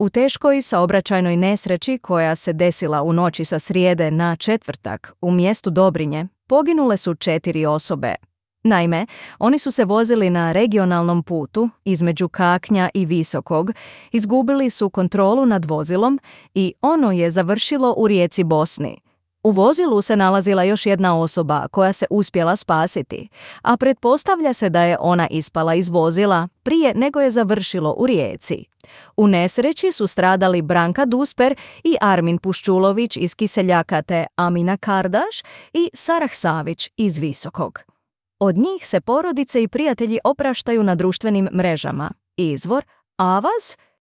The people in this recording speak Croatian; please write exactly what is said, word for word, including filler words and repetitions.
U teškoj saobraćajnoj nesreći koja se desila u noći sa srijede na četvrtak u mjestu Dobrinje poginule su četiri osobe. Naime, oni su se vozili na regionalnom putu između Kaknja i Visokog, izgubili su kontrolu nad vozilom i ono je završilo u rijeci Bosni. U vozilu se nalazila još jedna osoba koja se uspjela spasiti, a pretpostavlja se da je ona ispala iz vozila prije nego je završilo u rijeci. U nesreći su stradali Branka Dusper i Armin Puščulović iz Kiseljaka te Amina Kardaš i Sarah Savić iz Visokog. Od njih se porodice i prijatelji opraštaju na društvenim mrežama. Izvor Avaz